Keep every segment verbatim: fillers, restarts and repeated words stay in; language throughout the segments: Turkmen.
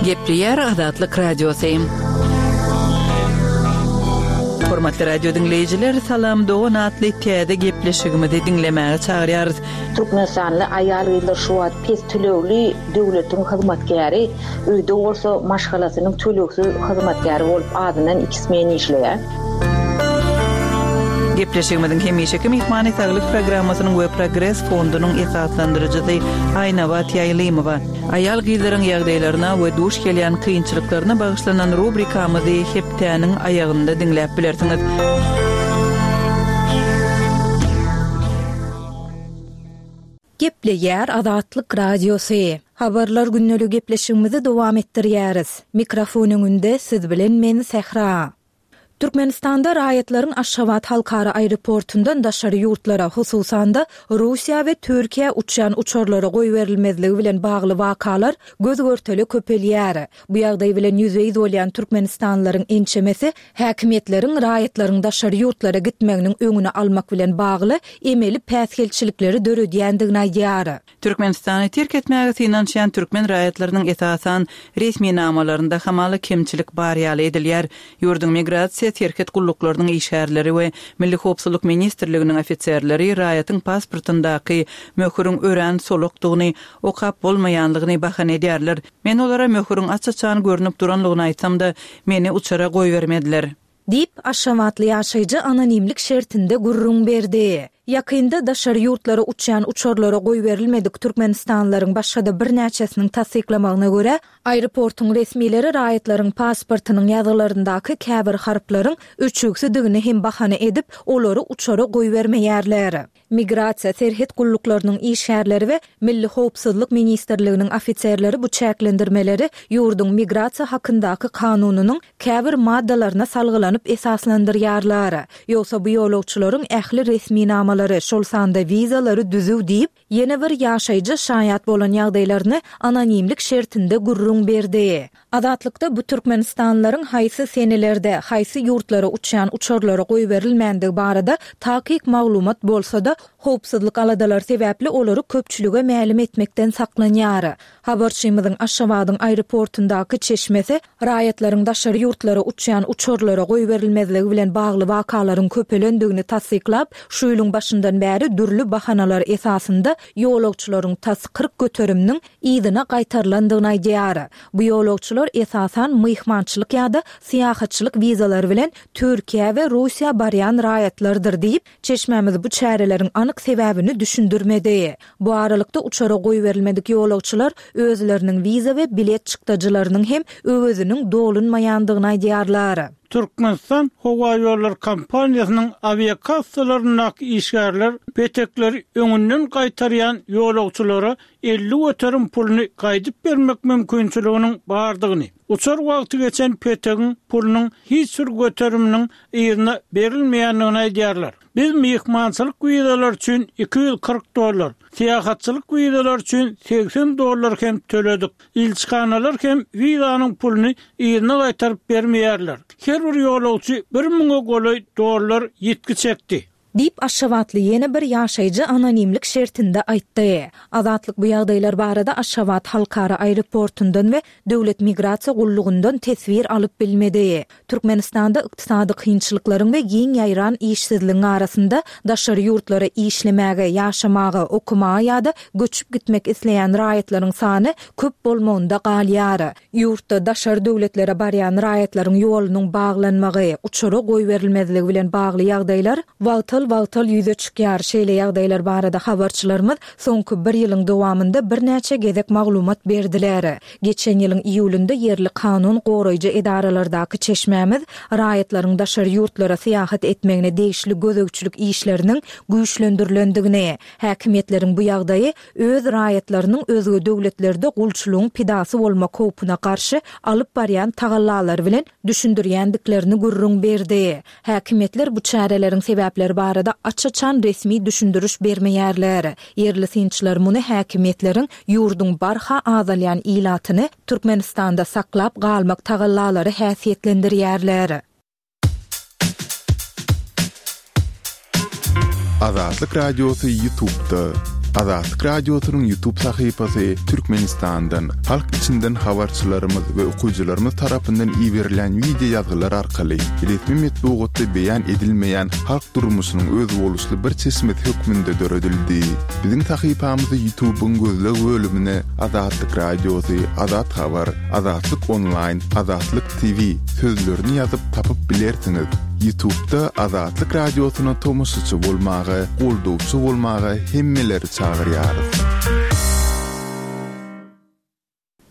Gepleýär Azatlyk Radiosy. Hormatly radio diňleýjiler, Salam dogan atly täze gepleşigimizi diňlemäge çagyrýarys. Türkmenistanly aýal-gyzlar şu wagt pes tölegli döwletiň hyzmatkäri, öýde bolsa maşgalasynyň tölegsiz hyzmatkäri bolup azyndan iki smen işleýär. Gepleşigimiziň hemişeki myhmany Saglyk programmasynyň we Progres fondunyň esaslandyryjysy Aýnabat Ýaýlymowa. Aýal-gyzlaryň ýagdaýlaryna we duş gelýän kynçylyklaryna bagyşlanan rubrikamyzy hepdäniň aýagynda diňläp bilersiňiz. Gepleýär Azatlyk Radiosy. Habarlar gündelik gepleşigimizi dowam etdirýäris. Mikrofon öňünde siz bilen men Sähra. Türkmenistanda raýatlaryň Aşgabat halkara aeroportundan daşary ýurtlara, hususan-da Russiýa we Türkiýä uçýan uçarlara goýberilmezligi bilen bagly wakalar göz görtele köpelýär. Bu ýagdaý bilen ýüzbe-ýüz bolýan türkmenistanlylaryň ençemesi häkimiýetleriň raýatlaryň daşary ýurtlara gitmeginiň öňüni almak bilen bagly emeli päsgelçilikleri döredýändigini aýdýar. Türkmenistany terk etmäge synanyşýan türkmen raýatlarynyň esasan resminamalarynda hamala kemçilik bar ýaly edilýär. Ýurduň migrasiýa serhet gulluklarynyň işgärleri we Milli howpsuzlyk ministrliginiň ofiserleri raýatyň pasportyndaky möhüriň örän solukdygyny, okap bolmaýanlygyny bahana edýärler. Men olara möhüriň aç-açan görnüp duranlygyny aýtsam-da, meni uçara goýbermediler. Diýip, Aşgabatly ýaşaýjy anonimlik şertinde gürrüň berdi. Ýakynda daşary ýurtlara uçýan uçarlara goýberilmedik türkmenistanlylaryň başga-da birnäçesiniň tassyklamagyna görä, aeroportuň resmileri raýatlaryň pasportynyň ýazgylaryndaky käbir harplaryň öçügsidigini hem bahana edip, olary uçara goýbermeýärler. Migrasiýa serhet gulluklarynyň işgärleri we Milli howpsuzlyk ministrliginiň ofiserleri bu çäklendirmeleri ýurduň migrasiýa hakyndaky kanunynyň käbir maddalaryna salgylanyp esaslandyrýarlar. Ýogsa bu ýolagçylaryň ähli resminamalary, şol sanda wizalary düzüw diýip, ýene bir ýaşaýjy şaýat bolan ýagdaýlaryny anonimlik şertinde gürrüň berdi. Azatlykda bu türkmenistanlylaryň haýsy senelerde, haýsy ýurtlara uçýan uçarlara goýberilmändigi barada takyk maglumat bolsa-da, howpsuzlyk aladalary sebäpli olary köpçülige mälim etmekden saklanýar. Habarçymyzyň Aşgabadyň aeroportundaky çeşmesi raýatlaryň daşary ýurtlara uçýan uçarlara goýberilmezligi bilen bagly wakalaryň köpelendigini tassyklap, şu ýylyň başyndan bäri dürli bahanalar esasynda ýolagçylaryň tas kyrk göteriminiň yzyna gaýtarylandygyny aýdýar. Bu ýolagçylar esasan myhmançylyk ýa-da syýahatçylyk wizalary bilen Türkiýä we Russiýa barýan raýatlardyr diýip, çeşmämiz bu çäreleriň anyk sebäbini düşündirmedi. Bu aralykda uçara goýberilmedik ýolagçylar özleriniň wiza we bilet çykdajylarynyň hem öweziniň dolunmaýandygyny aýdýarlar. Türkmenistan Howaýollar kompaniýasynyň awiakassalaryndaky işgärler petekleri öňünden gaýtarýan ýolagçylara elli göterim puluny gaýdyp bermek mümkinçiliginiň bardygyny, uçar wagty geçen petegiň pulunyň hiç bir göteriminiň yzyna berilmeýändigini aýdýarlar. Biz myhmançylyk wizalary üçin iki ýüz kyrk dollar, syýahatçylyk wizalary üçin segsen dollar hem töledik. Ilçihanalar hem wizanyň puluny yzyna gaýtaryp bermeýärler. Her bir ýolagçy bir müňe golaý dollar ýitgi çekdi. Diýip, Aşgabatly ýene bir ýaşaýjy anonimlik şertinde aýtdy. Azatlyk bu ýagdaýlar barada Aşgabat halkara aeroportundan we Döwlet migrasiýa gullugyndan teswir alyp bilmedi. Türkmenistanda ykdysady kynçylyklaryň we giň ýaýran işsizligiň arasynda daşary ýurtlara işlemäge, ýaşamaga, okamaga ýa-da göçüp gitmek isleýän raýatlaryň sany köp bolmagynda galýar. Ýurtda daşary döwletlere barýan raýatlaryň ýolunyň baglanmagy, uçara goýberilmezligi bilen bagly ýagdaýlar wagtal-wagtal ýüze çykýar. Şeýle ýagdaýlar barada habarçylarymyz soňky bir ýylyň dowamynda birnäçe gezek maglumat berdiler. Geçen ýylyň iýulynda ýerli kanun goraýjy edaralardaky çeşmämiz raýatlaryň daşary ýurtlara syýahat etmegine degişli gözegçilik işleriniň güýçlendirilendigini, häkimiýetleriň bu ýagdaýy öz raýatlarynyň özge döwletlerde gulçulygyň pidasy bolmak howpuna garşy alyp barýan tagallalary bilen düşündirýändiklerini gürrüň berdi. Häkimiýetler bu çäreleriň sebäpleri barada aç-açan resmi düşündiriş bermeýärler. Ýerli synçylar muny häkimiýetleriň ýurduň barha azalýan ilatyny Türkmenistanda saklap galmak tagallalary häsiýetlendirýärler. Azatlyk Radiosy YouTube'da. Azatlyk Radiosynyň YouTube sahypasy Türkmenistandan, halk içinden habarçylarymyz we okyjylarymyz tarapyndan iberilen wideo ýazgylar arkaly resmi metbugatda beýan edilmeýän halk durmuşynyň özboluşly bir çeşmesi hökmünde döredildi. Biziň sahypamyzy YouTube'yň gözleg bölümine Azatlyk Radiosy, Azat Habar, Azatlyk Online, Azatlyk T V sözlerini ýazyp tapyp bilersiňiz. YouTube'da Azatlyk Radiosyna tomaşaçy bolmaga, goldawçy bolmaga hemmeleri çagyrýarys.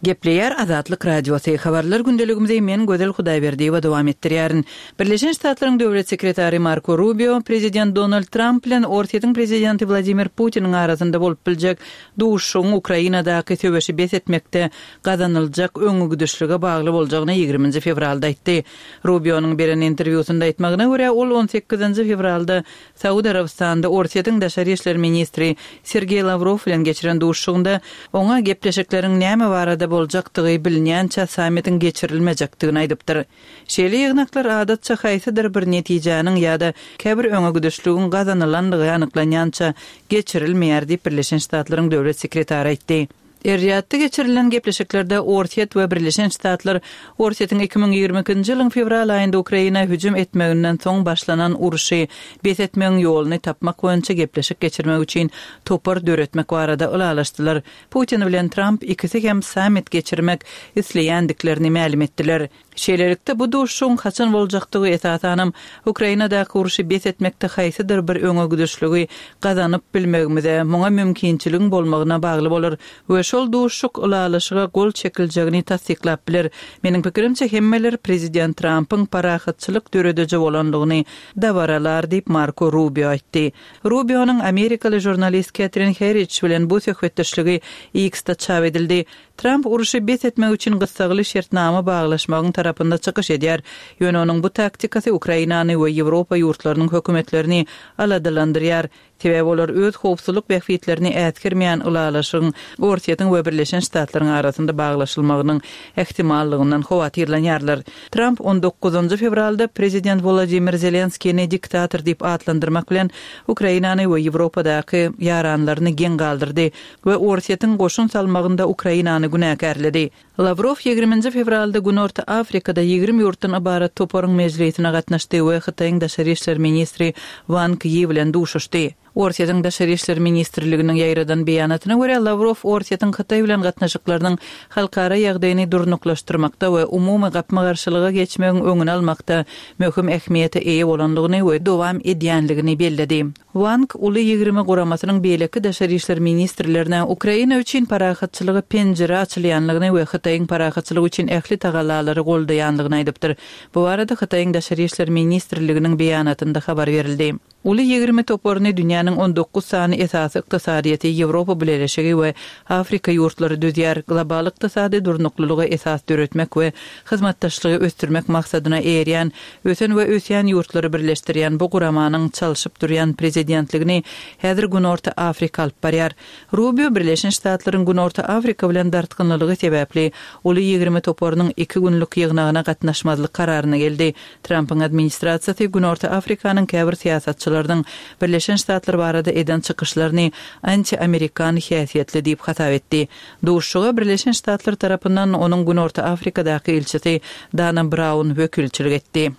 Gepleýär Azatlyk Radiosy. Habarlar gündeligimizi men Gözel Hudaýberdiýewa dowam etdirýärin. Birleşen Ştatlaryň döwlet sekretary Marko Rubio prezident Donald Tramp bilen Orsýetiň prezidenti Wladimir Putiniň arasynda bolup biljek duşuşygyň Ukrainadaky söweşi bes etmekde gazanyljak öňegidişlige bagly boljagyny ýigriminji fewralda aýtdy. Rubionyň beren interwýusynda aýtmagyna görä, ol on sekizinji fewralda Saud Arabystanda Orsýetiň daşary işler ministri Sergeý Lawrow bilen geçiren duşuşygynda oňa gepleşikleriň näme barada boljakdygy bilinýänçä sammitiň geçirilmejekdigini aýdypdyr. Şeýle ýygnaklar adatça haýsydyr bir netijäniň ýa-da käbir öňegidişligiň gazanylandygy anyklanýança geçirilmeýär diýip Birleşen Ştatlaryň döwlet sekretary aýtdy. Er-Riýadda geçirilen gepleşiklerde Orsýet we Birleşen Ştatlar Orsýetiň iki müň ýigrimi ikinji ýylyň fewral aýynda Ukraina hüjüm etmeginden soň başlanan urşy bes etmegiň ýoluny tapmak boýunça gepleşik geçirmek üçin topar döretmek barada ylalaşdylar. Putin bilen Tramp ikisi hem sammit geçirmek isleýändiklerini mälim etdiler. Şeýlelikde bu duşuşygyň haçan boljakdygy esasanam Ukrainadaky urşy bes etmekde haýsydyr bir öňegidişligi gazanyp bilmegimize, muňa mümkinçiligiň bolmagyna bagly bolar we şol duşuşyk ylalaşyga gol çekiljegini tassyklap biler. Meniň pikirimçe hemmeler prezident Trumpyň parahatçylyk dörediji bolanlygyny dabaralar diýip Marko Rubio aýtdy. Rubionyň Amerikaly žurnalist Katrin Herridge bilen bu söhbetdeşligi X-de çap edildi. Trump urşy bes etmek üçin gyssagly şertnama baglaşmagyň tarapynda çykyş edýär. Ýöne onuň bu taktikasy Ukrainany we Ýewropa ýurtlarynyň hökümetlerini aladalandyrýar. Sebäbi olar öz howpsuzlyk bähbitlerini äsgermeýän ylalaşygyň Orsýetiň we Birleşen Ştatlaryň arasynda baglaşylmagynyň ähtimallygyndan howatyrlanýarlar. Trump on dokuzynjy fewralda prezident Wladimir Zelenskini diktator diýip atlandyrmak bilen Ukrainany we Ýewropadaky ýaranlaryny geň galdyrdy we Orsýetiň goşun salmagynda Ukrainany günäkärledi. Lawrow ýigriminji fewralda Günorta Afrikada ýigrimi ýurtdan ybarat toparyň mejlisine gatnaşdy we Hytaýyň daşary işler ministri Wang Yi bilen duşuşdy. Orsýetiň daşary işler ministrliginiň ýaýradan beýanatyna görä Lawrow Orsýetiň Hytaý bilen gatnaşyklarynyň halkara ýagdaýyny durnuklaşdyrmakda we umumy gapma-garşylyga geçmegiň öňüni almakda möhüm ähmiýete eýe bolanlygyny we dowam edýänligini belledi. Wang uly ýigrimi guramasynyň beýleki daşary işler ministrlerine Ukraina üçin parahatçylygy penjire açylýanlygyny we Hytaýyň parahatçylygy üçin ähli tagallalary goldaýanlygyny aýdypdyr. Bu barada Hytaýyň daşary işler ministrliginiň beýanatynda habar berildi. Uly ýigrimi toparyny dünýäniň on dokuz sany esasy ykdysadyýeti, Ýewropa Bileleşigi we Afrika ýurtlary düzýär. Global ykdysady durnuklylyga esas döretmek we hyzmatdaşlygy ösdürmek maksadyna eýerýän, ösen we ösýän ýurtlary birleşdirýän bu guramanyň çalşyp durýan prezidentligini häzir Günorta Afrika alyp barýar. Rubio Birleşen Ştatlaryň Günorta Afrika bilen dartgynlygy sebäpli uly ýigrimi toparynyň iki günlük ýygnagyna gatnaşmazlyk kararyna geldi. Trumpyň administrasiýasy Günorta Afrikanyň käbir syýasatçylarynyň Birleşen Ştatlar barada eden çykyşlaryny anti-amerikan häsiýetli diýip hasap etdi. Duşuşyga Birleşen Ştatlar tarapyndan onuň Günorta Afrikadaky ilçisi Dana Brown wekilçilik etdi.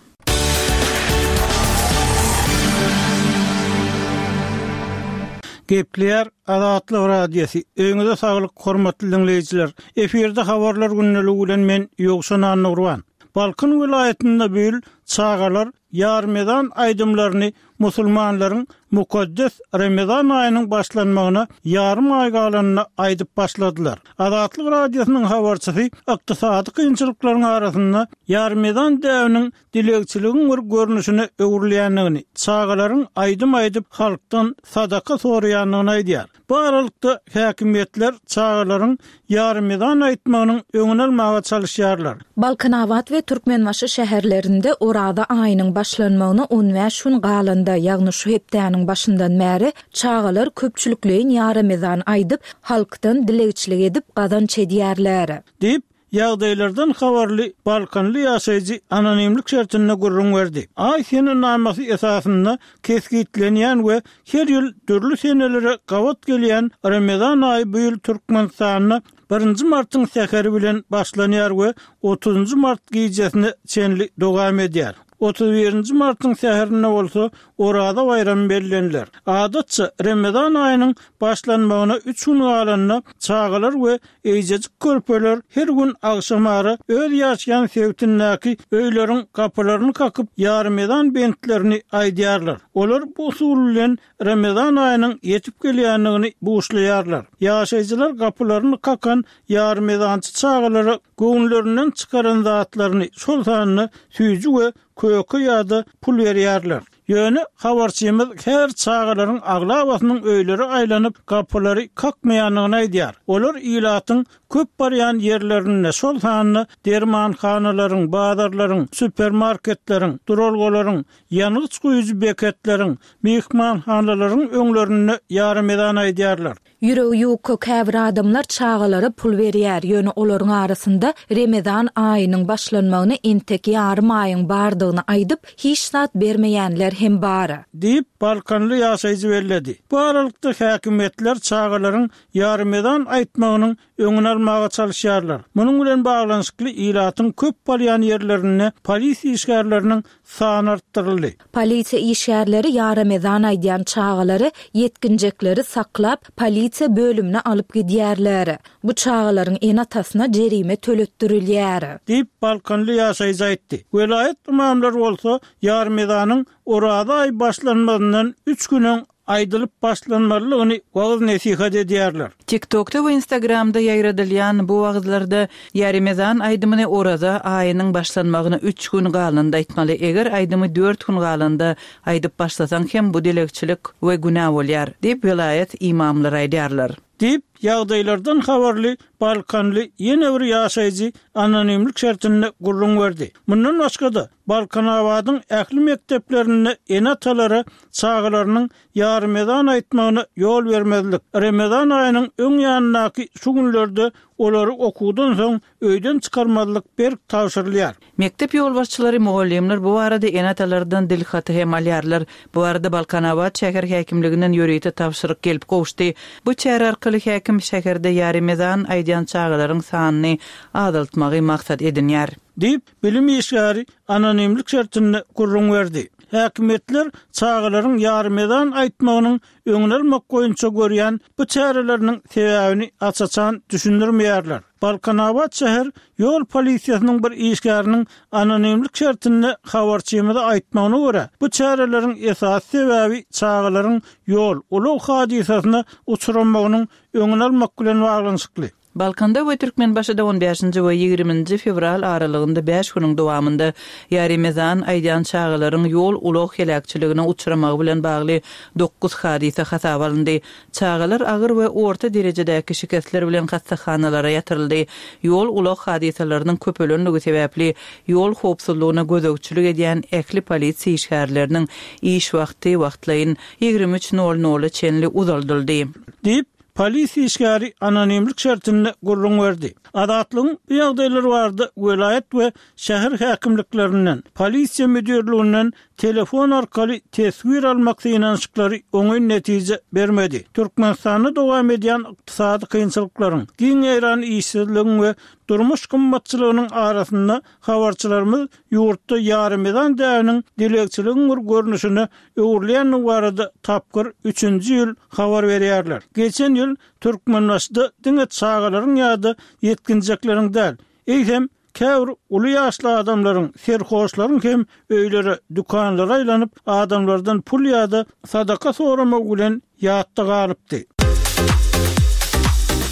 Gepleýär Azatlyk Radiosy. Öýüňize saglyk, hormatly dinleýjiler. Efirde habarlar gündeligi bilen men Ýowşan Annurban. Balkan welaýatynda bu ýyl çagalar ýarmezan aýdymlaryny musulmanlaryň mukaddes Ramazan aýynyň başlanmagyna ýarym aý galanyna aýdyp başladylar. Azatlyk Radiosynyň habarçysy ykdysady kynçylyklaryň arasynda ýarmezan däwiniň dilegçiligiň bir görnüşine öwrülýändigini, çagalaryň aýdym aýdyp halkdan sadaka soraýandygyny aýdýar. Bu aralykda häkimiýetler çagalaryň ýarmezan aýtmagynyň öňüni almaga çalyşýarlar. Balkanabat we Türkmenbaşy şäherlerinde Oraza aýynyň başlanmagyna on bäş gün galanda, ýagny şu hepdäniň başyndan bäri çagalar köpçülikleýin ýarmezan aýdyp, halkdan dilegçilik edip gazanç edýärler. Diýip, ýagdaýlardan habarly Balkanly ýaşaýjy anonimlik şertinde gürrüň berdi. Aý senenamasy esasynda kesgitlenýän we her ýyl dürli senelere gabat gelýän Remezan aýy bu ýyl Türkmenistanda birinji martyň säheri bilen başlanýar we otuzynjy mart gijesine çenli dowam edýär. Otuz birinji martyň säherinde bolsa Oraza baýramy belleniler. Adatça, Remezan aýynyň başlanmagyna üç gün galanda çagalar we eýjejik körpeler her gün agşamara öz ýaşaýan sebitindäki öýleriň gapylaryny kakyp, ýarymezan bentlerini aýdýarlar. Olar bu usul bilen Remezan aýynyň ýetip gelýändigini buşlaýarlar. Ýaşaýjylar gapylaryny kakan ýarymezançy çagalara göwünlerinden çykaran zatlaryny, şol sanda süýji we köke ýa-da pul berýärler. Ýöne habarçymyz her çagalaryň aglabasynyň öýlere aýlanyp, gapylary kakmaýandygyny aýdýar. Olar ilatyň köp barýan ýerlerinde, şol sanda dermanhanalaryň, bazarlaryň, supermarketleriň, duralgalaryň, ýangyç guýujy beketleriň, myhmanhanalaryň öňlerinde ýarymezan aýdýarlar. Ýüregi ýuka käbir adamlar çagalara pul berýär, ýöne olaryň arasynda Remezan aýynyň başlanmagyna entek ýarym aýyň bardygyny aýdyp, hiç zat bermeýänler hem bar. Diýip, balkanly ýaşaýjy belledi. Bu aralykda häkimiýetler çagalaryň ýarymezan aýtmagynyň öňüni almaga çalyşýarlar. Munuň bilen baglanyşykly ilatyň köp barýan ýerlerinde polisiýa işgärleriniň sany artdyryldy. Polisiýa işgärleri ýaremezan aýdýan çagalary, ýetginjekleri saklap, polisiýa bölümine alyp gidýärler. Bu çagalaryň ene-atasyna jerime töletdirilýär. Diýip, balkanly ýaşaýjy aýtdy. Welaýat ymamlary bolsa ýaremezanyň Oraza aýy başlanmazyndan üç gün öň aýdylyp başlanmalydygyny wagyz-nesihat edýärler. TikTokda we Instagramda ýaýradylýan bu wagyzlarda ýaremezan aýdymyny Oraza aýynyň başlanmagyna üç gün galanda aýtmaly, eger aýdymy dört gün galanda aýdyp başlasaň hem bu dilegçilik we günä bolýar, diýip, welaýat ymamlary aýdýarlar. Diýip, ýagdaýlardan habarly balkanly ýene bir ýaşaýjy anonimlik şertinde gürrüň berdi. Mundan başga-da, Balkanabadyň ähli mekdeplerinde ene-atalara çagalarynyň ýarymezan aýtmagyna ýol bermezlik, Remezan aýynyň öň ýanyndaky şu günlerde olary okuwdan soň öýden çykarmazlyk berk tabşyrylýar. Mekdep ýolbaşçylary, mugallymlar bu barada ene-atalardan dilhaty hem alýarlar. Bu barada Balkanabat şäher häkimliginden ýörite tabşyryk gelip gowuşdy. Bu çäre arkaly häkim şäherde ýarymezan aýdýan çagalaryň sanyny azaltmagy maksat edinýär. Diýip, bilim işgäri anonimlik şertinde gürrüň berdi. Häkimiýetler çagalaryň ýarymezan aýtmagynyň öňüni almak boýunça görýän bu çäreleriniň sebäbini aç-açan düşündirmeýärler. Balkanabat şäher ýol polisiýasynyň bir işgäriniň anonimlik şertinde habarçymyza aýtmagyna görä, bu çäreleriň esasy sebäbi çagalaryň ýol, ulag hadysasyna uçramagynyň öňüni almak bilen baglanyşykly. Balkanda we Türkmenbaşyda on bäşinji we ýigriminji fewral aralygynda bäş günüň dowamynda ýarymezan aýdýan çagalaryň ýol-ulag heläkçiligine uçramagy bilen bagly dokuz hadysa hasaba alyndy. Çagalar agyr we orta derejedäki şikesler bilen hassahanalara ýatyryldy. Ýol-ulag hadysalarynyň köpelenligi sebäpli ýol howpsuzlygyna gözegçilik edýän ähli polisiýa işgärleriniň iş wagty wagtlaýyn ýigrimi üç nol nola çenli uzaldyldy. Diýip, polisiýa işgäri anonimlik şertinde gürrüň berdi. Azatlygyň bu ýagdaýlar barada welaýat we şäher häkimliklerinden, polisiýa müdirliginden telefon arkaly teswir almak synanyşyklary oňyn netije bermedi. Türkmenistanda dowam edýän ykdysady kynçylyklaryň, giň ýaýran işsizligiň we durmuş gymmatçylygynyň arasynda habarçylarymyz ýurtda ýarymezan däbiniň dilegçiligiň bir görnüşine öwrülýändigi barada tapgyr üçünji ýyl habar berýärler. Geçen ýyl Türkmenbaşyda diňe çagalaryň ýa-da ýetginjekleriň däl, eýsem käbir uly ýaşly adamlaryň, serhoşlaryň hem öýlere, dükanlara aýlanyp, adamlardan pul ýa-da sadaka soramagy bilen ýatda galypdy.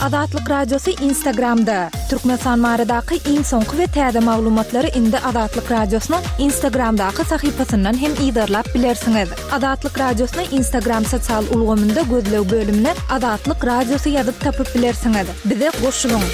Azatlyk Radiosy Instagramda. Türkmenistan baradaky iň soňky we täze maglumatlary indi Azatlyk Radiosynyň Instagramdaky sahypasyndan hem yzarlap bilersiňiz. Azatlyk Radiosyny Instagram sosial ulgamynda gözleg bölümine Azatlyk Radiosy ýazyp tapyp bilersiňiz. Bize goşulyň!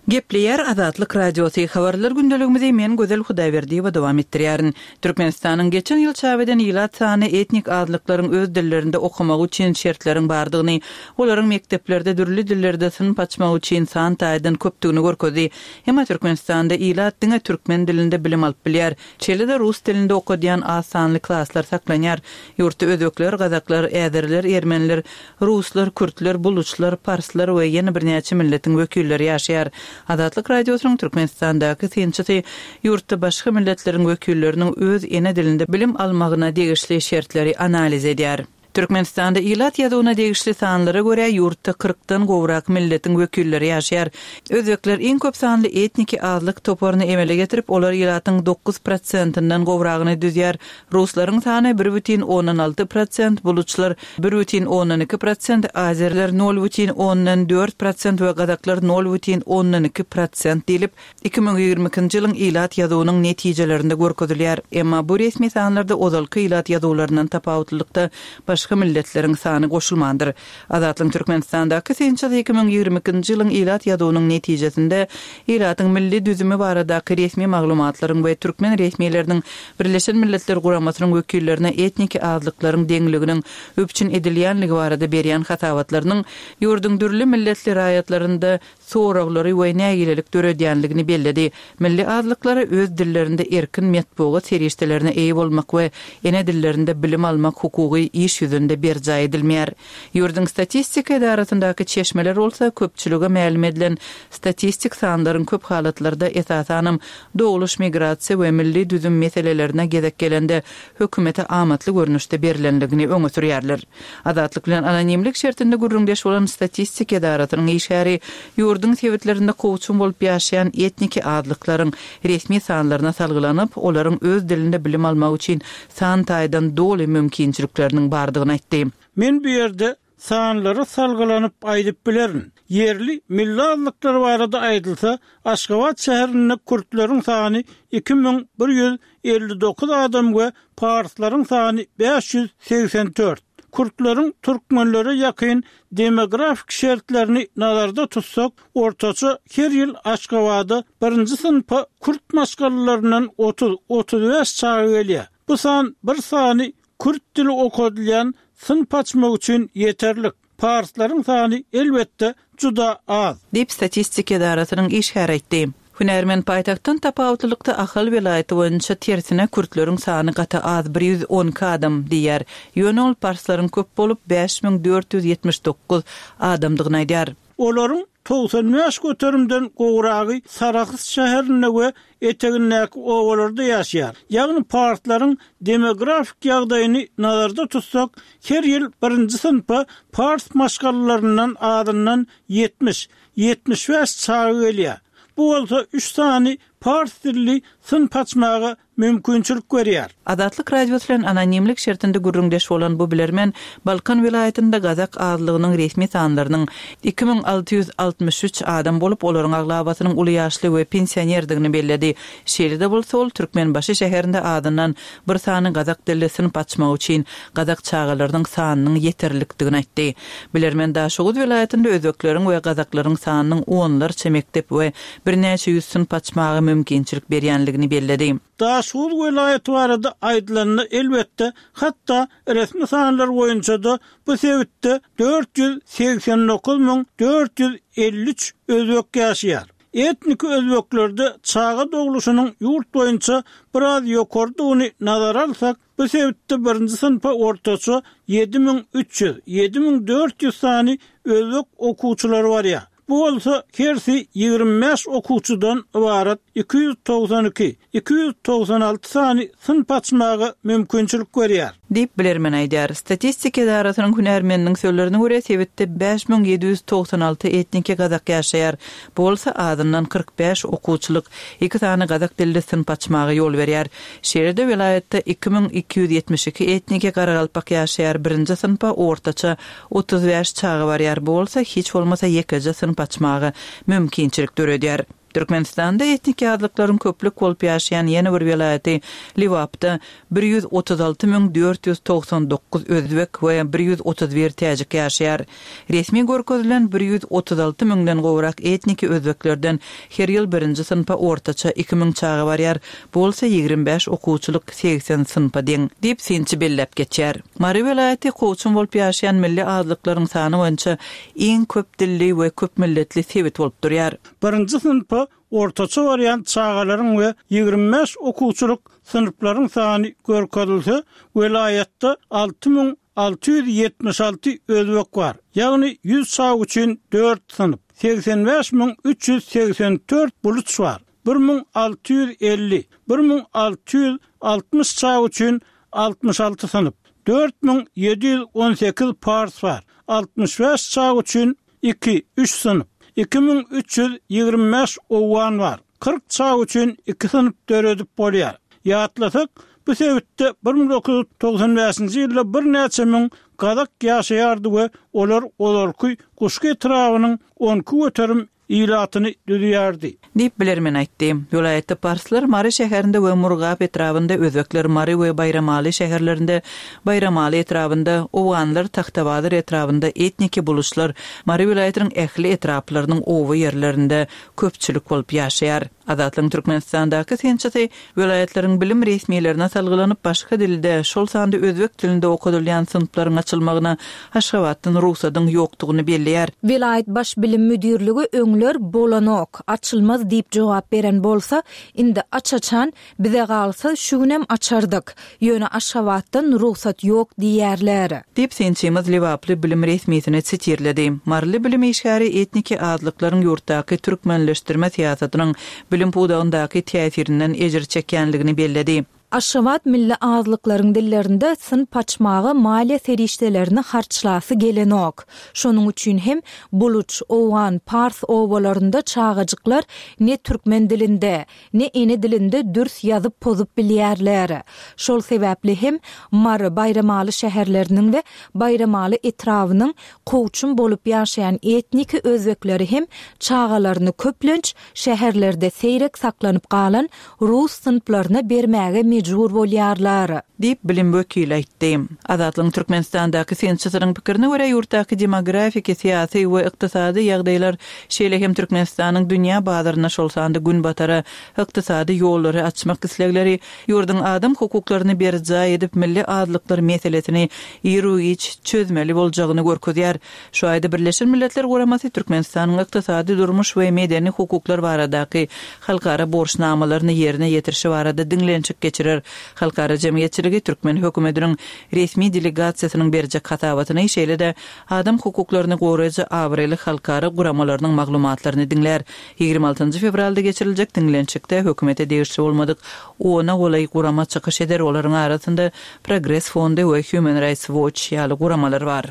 Gepleýär Azatlyk Radiosy, Habarlar gündeligimizi men Gözel Hudaýberdiýewa dowam etdirýärin. Türkmenistanyň geçen ýyl çap eden ilat sany etnik azlyklaryň öz dillerinde okamagy üçin şertleriň bardygyny, olaryň mekdeplerde dürli dillerde synp açmagy üçin san taýdan köpdügini görkezdi. Emma Türkmenistanda ilat diňe türkmen dilinde bilim alyp bilýär. Şeýle-de rus dilinde okadýan az sanly klaslar saklanýar. Ýurtda özbekler, gazaklar, äzeriler, ermeniler, ruslar, kürtler, buluçlar, parslar we ýene birnäçe milletiň wekilleri ýaşaýar. Azatlyk Radiosynyň Türkmenistandaky synçysy ýurtda başga milletleriň wekilleriniň öz ene dilinde bilim almagyna degişli şertleri analiz edýär. Türkmenistanda ilat ýazuwyna degişli sanlara görä ýurtda kyrkdan gowrak milletiň wekilleri ýaşaýar. Özbekler iň köp sanly etniki azlyk toparyny emele getirip, olar ilatyň dokuz prosentinden gowragyny düzýär. Ruslaryň sany bir bütin ondan alty prosent, buluçlar bir bütin ondan iki prosent, azerler nol bütin ondan dört prosent we gazaklar nol bütin ondan iki prosent diýlip, iki müň ýigrimi ikinji ýylyň ilat ýazuwynyň netijelerinde görkezilýär. Emma bu resmi sanlarda ozalky ilat ýazuwlaryndan tapawutlylykda başga milletleriň sany goşulmandyr. Azatlyk Türkmenistandaky synçysy iki müň ýigrimi ikinji ýylyň ilat ýazuwynyň netijesinde ilatyň milli düzümi baradaky resmi maglumatlaryň we türkmen resmileriniň Birleşen Milletler Guramasynyň wekillerine etniki azlyklaryň deňliginiň üpjün edilýänligi barada berýän hasabatlarynyň ýurduň dürli milletli raýatlarynda soraglary we nägilelik döredýänligini belledi. Milli azlyklara öz dillerinde erkin metbugat serişdelerine eýe bolmak we ene dillerinde bilim almak hukugy iş ýüzünde berjaý edilmeýär. Ýurduň statistika edarasyndaky çeşmeler bolsa köpçülige mälim edilen statistik sanlaryň köp halatlarda esasanam dogluş migrasiýa we milli düzüm meselelerine gezek gelende hökümete amatly görnüşde berilenligini öňe sürýärler. Azatlyk bilen anonimlik şertinde gürrüňdeş bolan statistik edarasynyň işgäri ýurduň sebitlerinde kowçum bolup ýaşaýan etniki azlyklaryň resmi sanlaryna salgylanyp, olaryň öz dilinde bilim almak üçin san taýdan doly mümkinçilikleriniň bardygyny aýtdy. Men bu ýerde sanlara salgylanyp aýdyp bilerin. Ýerli milli azlyklar barada aýdylsa, Aşgabat şäherinde kürtleriň sany iki müň bir ýüz elli dokuz adam we parslaryň sany bäş ýüz segsen dört. Kürtleriň türkmenlere ýakyn demografik şertlerini nazarda tutsak, ortaça her ýyl Aşgabada birinji synpa kürt maşgalalaryndan otuz, otuz bäş çaga gelýär. Bu san bir sany kürt dili okadylýan synp açmak üçin ýeterlik. Parslaryň sany elbetde juda az. Diýip statistika edarasynyň işgäri aýtdy. Hünärmen paýtagtdan tapawutlylykda Ahal welaýaty boýunça tersine kürtleriň sany gaty az, bir ýüz on iki adam diýýär. Ýöne ol parslaryň köp bolup bäş müň dört ýüz ýetmiş dokuz adamdygyny aýdýar. Olaryň togsan bäş göterimden gowragy Sarahs şäherinde we etegindäki obalarda ýaşaýar. Ýagny parslaryň demografik ýagdaýyny nazarda tutsak, her ýyl birinji synpa pars maşgalalaryndan azyndan ýetmiş, ýetmiş bäş çaga gelýär. Bu bolsa üç sany pars dilli synp açmaga mümkinçilik berýär. Azatlyk Radiosy bilen anonimlik şertinde gürrüňdeş bolan bu bilermen Balkan welaýatynda gazak azlygynyň resmi sanlarynyň iki müň alty ýüz altmyş üç adam bolup, olaryň aglabasynyň uly ýaşly we pensionerdigini belledi. Şeýle-de bolsa ol Türkmenbaşy şäherinde azyndan bir sany gazak dilli synp açmak üçin gazak çagalarynyň sanynyň ýeterlikdigini aýtdy. Bilermen Daşoguz welaýatynda özbekleriň we gazaklaryň sanynyň onlarça mekdep we birnäçe ýüz synp açmaga mümkinçilik berýänligini belledi. Daşoguz welaýaty barada aýdylanda elbetde hatda resmi sanlar boýunça da bu sebitde dört ýüz segsen dokuz müň dört ýüz elli üç özbek ýaşaýar. Etnik özbeklerde çaga dogluşynyň ýurt boýunça biraz ýokardygyny nazara alsak, bu sebitde birinji synpa ortaça ýedi müň üç ýüz, ýedi müň dört ýüz sany özbek okuwçylary barýar. Bu bolsa hersi ýigrimi bäş okuwçydan ybarat iki ýüz togsan iki, iki ýüz togsan alty sany synp açmaga mümkinçilik berýär. Diýip bilermen aýdýar. Statistika edarasynyň hünärmeniniň sözlerine görä sebitde bäş müň ýedi ýüz togsan alty etniki gazak ýaşaýar. Bu bolsa azyndan kyrk bäş okuwçylyk, iki sany gazak dilli synp açmaga ýol berýär. Şeýle-de welaýatda iki müň iki ýüz ýetmiş iki etniki garagalpak ýaşaýar. Birinji synpa ortaça otuz bäş çaga barýar. Bu bolsa hiç bolmasa ýekeje synp açmaga mümkinçilik döredýär. Türkmenistanda etniki azlyklaryň köplük bolup ýaşaýan ýene bir welaýaty Lebapda bir ýüz otuz alty müň dört ýüz togsan dokuz özbek we bir ýüz otuz bir täjik ýaşaýar. Resmi görkezilen bir ýüz otuz alty müňden gowrak etniki özbeklerden her ýyl birinji synpa ortaça iki müň çaga barýar, bu bolsa ýigrimi bäş okuwçylyk segsen synpa deň, diýip synçy belläp geçýär. Mary welaýaty kowçum bolup ýaşaýan milli azlyklaryň sany boýunça iň köp dilli we köp milletli sebit bolup durýar. Birinji synpa ortaça barýan çagalaryň we ýigrimi bäş okuwçylyk synplaryň sany görkezilse, welaýatda alty müň alty ýüz ýetmiş alty özbek bar. Ýagny ýüz çaga üçin dört synp, segsen bäş müň üç ýüz segsen dört buluç bar. Bir müň alty ýüz elli, bir müň alty ýüz altmyş çaga üçin altmyş alty synp, dört müň ýedi ýüz on sekiz pars bar. Altmyş bäş çaga üçin iki, üç synp, iki müň üç ýüz ýigrimi bäş owgan bar. Kyrk çaga üçin iki synp döredip bolýar. Ýatlasak, bu sebitde bir müň dokuz ýüz togsan bäşinji ýylda birnäçe müň gazak ýaşaýardy we olar ozalky Guşgy etrabynyň on iki göterim ilatyny düzýärdi. Diýip bilermen aýtdy. Welaýatda parslar Mary şäherinde we Murgap etrabynda, özbekler Mary we Baýramaly şäherlerinde, Baýramaly etrabynda, owganlar Tagtabazar etrabynda etniki buluşlar Mary welaýatynyň ähli etraplarynyň oba ýerlerinde köpçülik bolup ýaşaýar. Azatlygyň Türkmenistandaky synçysy welaýatlaryň bilim resmilerine salgylanyp başga dilde, şol sanda özbek dilinde okadylýan synplaryň açylmagyna Aşgabatdan rugsadyň ýokdugyny belleýär. Welaýat baş bilim müdirligi öňler bolanok, açylmaz diýip jogap beren bolsa, indi aç-açan bize galsa şu günem açardyk. Ýöne Aşgabatdan rugsat ýok diýerler. Diýip synçymyz Lebaply bilim resmisini sitirledi. Maryly bilim işgäri etniki azlyklaryň ýurtdaky türkmenleşdirme syýasatynyň bilim pudagyndaky täsirinden ejir çekýänligini belledi. Aşgabat milli azlyklaryň dillerinde synp açmaga maliýe serişdelerini harçlasy gelenok. Şonuň üçin hem buluç, owgan, pars obalarynda çagajyklar ne türkmen dilinde, ne ene dilinde dürs ýazyp pozup bilýärler. Şol sebäpli hem Mary, Baýramaly şäherleriniň we Baýramaly etrabynyň kowçum bolup ýaşaýan etniki özbekleri hem çagalaryny köplenç şäherlerde seýrek saklanyp galan rus synplaryna bermäge mejbur bolýarlar. Diýip bilim wekili aýtdy. Azatlygyň Türkmenistandaky synçysynyň pikirine görä ýurtdaky demografiki, syýasy we ykdysady ýagdaýlar şeýle hem Türkmenistanyň dünýä bazaryna şol sanda günbatara ykdysady ýollary açmak islegleri ýurduň adam hukuklaryny berjaý edip milli azlyklar meselesini iru-giç çözmeli boljagyny görkezýär. Şu aýda Birleşen Milletler Guramasy Türkmenistanyň ykdysady durmuş we medeni hukuklar baradaky halkara borçnamalaryny ýerine ýetirişi barada diňlenişik geçirer. Halkara jemgyýetçiligi Türkmen hökümetiniň resmi delegasiýasynyň berjek hasabatyny, şeýle-de adam hukuklaryny goraýjy abraýly halkara guramalarynyň maglumatlaryny diňlär. Ýigrimi altynjy fewralda geçiriljek diňlenişikde hökümete degişli bolmadyk ona golaý gurama çykyş eder. Olaryň arasynda Progress Fondy we Human Rights Watch ýaly guramalar bar.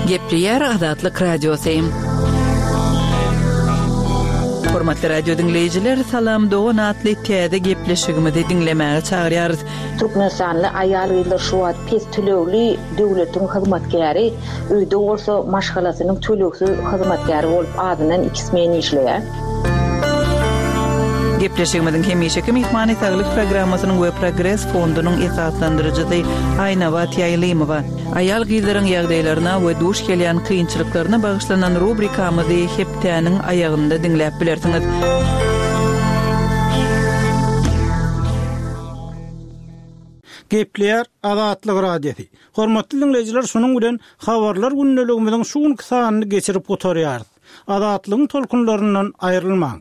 Gepleýär Azatlyk Radiosy. Hormatly radio diňleýjiler, Salam Dogan atly täze gepleşigimizi diňlemäge çagyrýarys. Türkmenistanly aýal-gyzlar şu wagt pes tölegli döwletiň hyzmatkäri, öýde bolsa maşgalasynyň tölegsiz hyzmatkäri bolup azyndan iki smen işleýär. Gepleşigimiziň hemişeki myhmany saglyk programmasynyň we Progress fondunyň esaslandyryjysy Aýnabat Ýaýlymowa. Aýal-gyzlaryň ýagdaýlaryna we duş gelýän kynçylyklaryna bagyşlanan rubrikamyzy hepdäniň aýagynda diňläp bilersiňiz. Gepleýär Azatlyk Radiosy. Hormatly dinleýjiler, şunuň bilen habarlar gündeligimiziň şu günki sanyny geçirip gutarýarys. Azatlygyň tolkunlaryndan aýrylmaň.